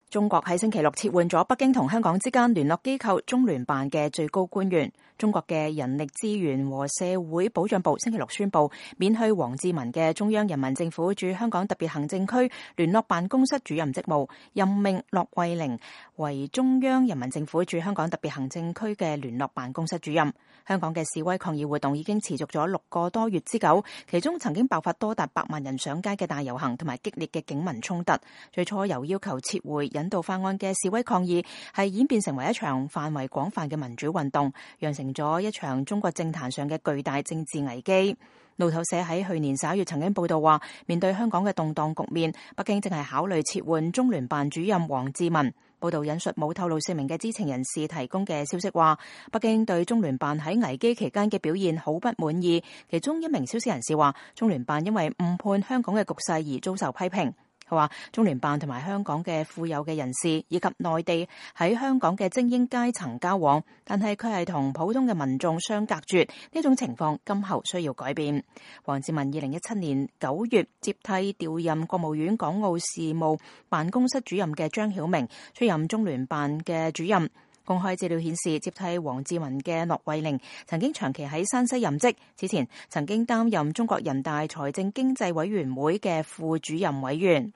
中國喺星期六撤換咗北京同香港之間聯絡機構中聯辦嘅最高官員。中國嘅人力資源和社會保障部星期六宣布免去王志民嘅中央人民政府駐香港特別行政區聯絡辦公室主任職務，任命駱惠寧為中央人民政府駐香港特別行政區嘅聯絡辦公室主任。香港嘅示威抗議活動已經持續咗6個多月之久，其中曾經爆發多達100萬人上街嘅大遊行同埋激烈嘅警民衝突。最初由要求撤回引渡法案嘅示威抗議係演變成為一場範圍廣泛嘅民主運動，釀成咗一場中國政壇上嘅巨大政治危機。路透社喺去年11月曾經報道話，面對香港嘅動盪局面，北京正係考慮撤換中聯辦主任王志民。報道引述冇透露姓名嘅知情人士提供嘅消息話，北京對中聯辦喺危機期間嘅表現好不滿意。其中一名消息人士話，中聯辦因為誤判香港嘅局勢而遭受批評。佢話中聯辦同埋香港嘅富有嘅人士以及內地喺香港嘅精英階層交往，但係佢係同普通嘅民眾相隔絕，呢種情況今後需要改變。王志民2017年9月接替調任國務院港澳事務辦公室主任嘅張曉明出任中聯辦嘅主任。公開資料顯示，接替王志民嘅駱惠寧曾經長期喺山西任職，之前曾經擔任中國人大財政經濟委員會嘅副主任委員。